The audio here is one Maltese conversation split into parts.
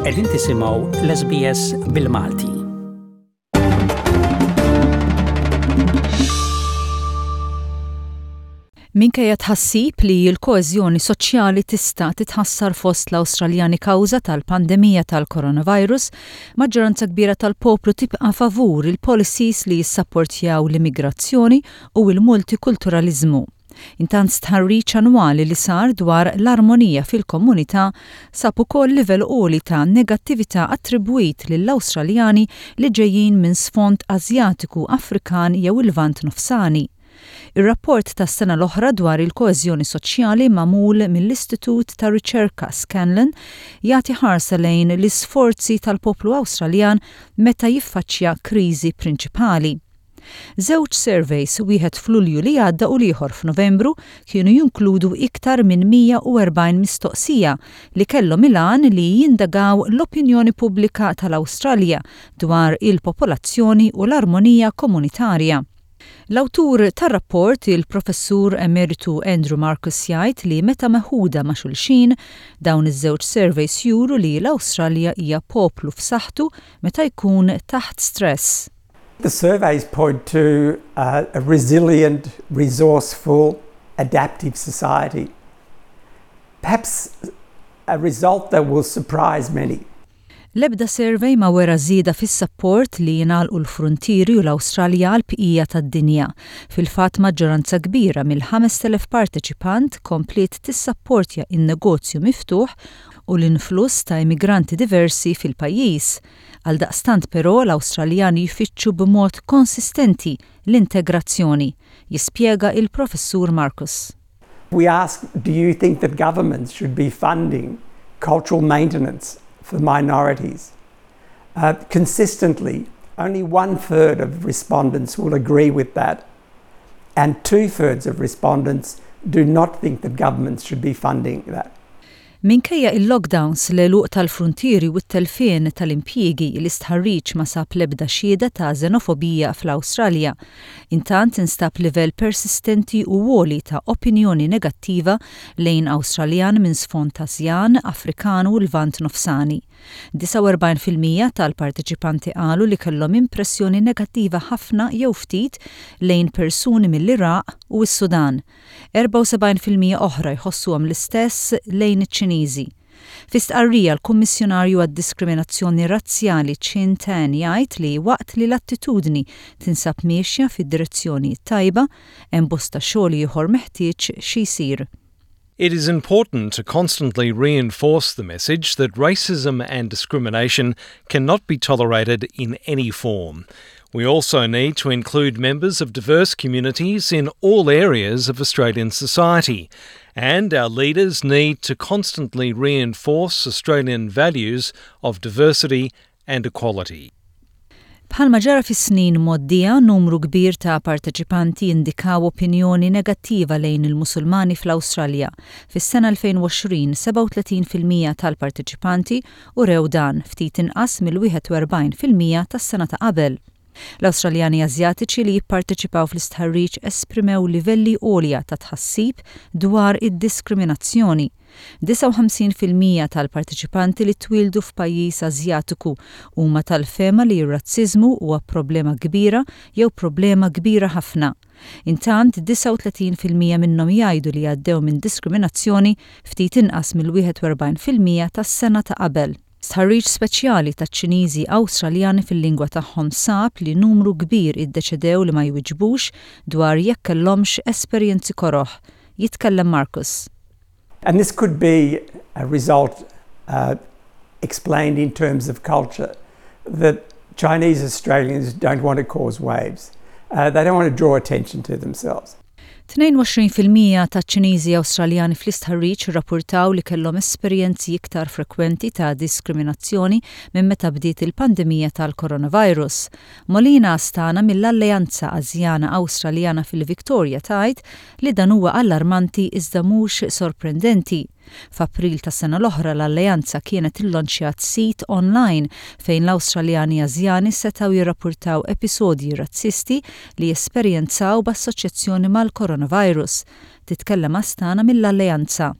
Qegħdin tisimgħu l-SBS bil-Malti. Minkejja tħassib li l-koeżjoni soċjali tista' titħassar fost l-Awstraljani kawża tal-pandemija tal-coronavirus, maġġoranza kbira tal-poplu tibqa' favur il-policies li jissapportjaw l-immigrazzjoni u l-multikulturaliżmu. Intant stħarriġ annwali li sar dwar l-armonija fil-komunità sab ukoll livell għoli ta' negattività attribwit lill-Awstraljani li ġejjin minn sfond Asjatiku, Afrikan jew il-Lvant Nofsani. Ir-rapport tas-sena l-oħra dwar il-koeżjoni soċjali magħmul mill-istitut ta' riċerka Scanlon jagħti ħarsa lejn l-isforzi tal-poplu Awstraljan meta jiffaċċja kriżi prinċipali. Żewġ surveys, wieħed f'Lulju li għadda u l-ieħor f'Novembru, kienu jinkludu iktar minn 140 mistoqsija li kellhom il-għan li jindagaw l-opinjoni pubblika tal-Awstralja dwar il-popolazzjoni u l-armonija komunitarja. L-awtur tar-rapport, il-Professur Emeritu Andrew Markus jgħid li meta meħuda ma' xulxin, dawn iż-żewġ surveys juru li l-Awstralja hija poplu f'saħħtu meta jkun taħt stress. The surveys point to a resilient, resourceful, adaptive society. Perhaps a result that will surprise many. L-ebda survey ma wera żieda fis-sapport li jingħalqu l-fruntieri u l-Awstralja għall-bqija tad-dinja. Fil-fatt maġġoranza kbira mill-5,000 parteċipant kompliet tissapportja n-negozju miftuħ u l-influss ta' immigranti diversi fil-pajjiż. Għaldaqstant però l-Awstraljani jfittxu b'mod konsistenti l-integrazzjoni, jispjega il-Professur Markus. We ask, do you think that governments should be funding cultural maintenance for minorities? Uh, consistently, only one third of respondents will agree with that, and two thirds of respondents do not think that governments should be funding that. Minkejja il-lockdowns, l-għeluq tal-fruntieri u t-telfien tal-impjiegi, l-istħarriġ ma sab l-ebda xhieda ta' żenofobija fl-Awstralja. Intant instab livell persistenti u għoli ta' opinjoni negattiva lejn Awstraljan minn sfond Asjan, Afrikan u Lvant Nofsani. 49% tal-parteċipanti qalu li kellhom impressjoni negattiva ħafna jew ftit lejn persuni mill-Iraq u s-Sudan. 74% oħra jħossuhom l-istess lejn iċ-Ċiniżi. Fi stqarrija l-Kummissjonarju għad-Diskriminazzjoni Razzjali Chin Tan jgħid li waqt li l-attitudni tinsab miexja fid-direzzjoni t-tajba, hemm bosta xogħol ieħor meħtieġ xi jsir. It is important to constantly reinforce the message that racism and discrimination cannot be tolerated in any form. We also need to include members of diverse communities in all areas of Australian society. And our leaders need to constantly reinforce Australian values of diversity and equality. Bħalma ġara fis-snin mgħoddija, numru kbir ta' parteċipanti indikaw opinjoni negattiva lejn il-Musulmani fl-Awstralja. Fis-sena 2020, 37% tal-parteċipanti urew dan, ftit inqas mill-41% tas-sena ta' qabel. L-Awstraljani Asjatiċi li jipparteċipaw fl-istħarriġ esprimew livelli għolja ta' tħassib dwar id-diskriminazzjoni. 59% tal-parteċipanti li twieldu f'pajjiż Asjatiku huma tal-fehma li r-razziżmu huwa problema kbira jew problema kbira ħafna. Intant, 39% minnhom jgħidu li għaddew minn diskriminazzjoni ftit inqas mill-41% tas-sena ta' qabel. Stħarriġ speċjali taċ-Ċiniżi Awstraljani fil-lingwa tagħhom sab li numru kbir iddeċidew li ma jwiġbux dwar jekk kellhomx esperjenzi koroh. Jitkellem Markus. And this could be a result uh, explained in terms of culture, that Chinese Australians don't want to cause waves. Uh, they don't want to draw attention to themselves. 22% taċ-Ċiniżi Awstraljani fl-istħarriġ irrappurtaw li kellhom esperjenzi iktar frekwenti ta' diskriminazzjoni minn meta bdiet il-pandemija tal-coronavirus. Molina Astana mill-Alleanza Asjana Awstraljana fil-Victoria tgħid li dan huwa allarmanti iżda mhux sorprendenti. F'April tas-sena l-oħra l-Alleanza kienet illonċjat sit online fejn l-Awstraljani Asjani setgħu jirrappurtaw episodji razzisti li esperjenzaw b'assoċjazzjoni mal-coronavirus. Titkellem Astana mill-Alleanza.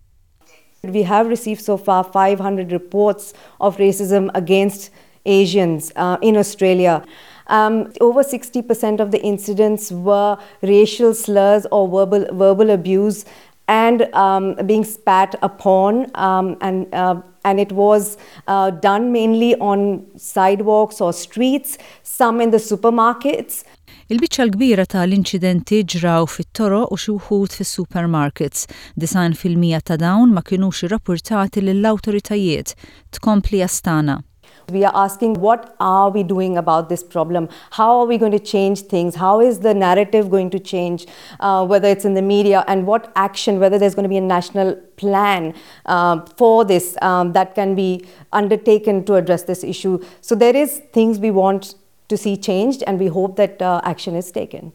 We have received so far 500 reports of racism against Asians uh, in Australia. Um, over 60% of the incidents were racial slurs or verbal, verbal abuse and um, being spat upon um, and uh, and it was uh, done mainly on sidewalks or streets, some in the supermarkets. Il-biċċa l-kbira ta' l-inċidenti ġraw fit-toroq u xi wħud fis-supermarkets. 90% ta' dawn ma kinux irrappurtati lill-awtoritajiet, tkompli Asthana. We are asking what are we doing about this problem? How are we going to change things? How is the narrative going to change, uh, whether it's in the media, and what action, whether there's going to be a national plan uh, for this um, that can be undertaken to address this issue. So there is things we want to see changed and we hope that uh, action is taken.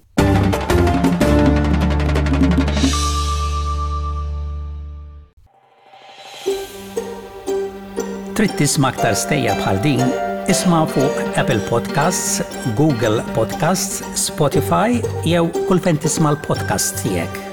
Trid tisma' aktar stejjer bħal din? Isma' fuq Apple Podcasts, Google Podcasts, Spotify jew kull fejn tisma' l-podcasts tiegħek.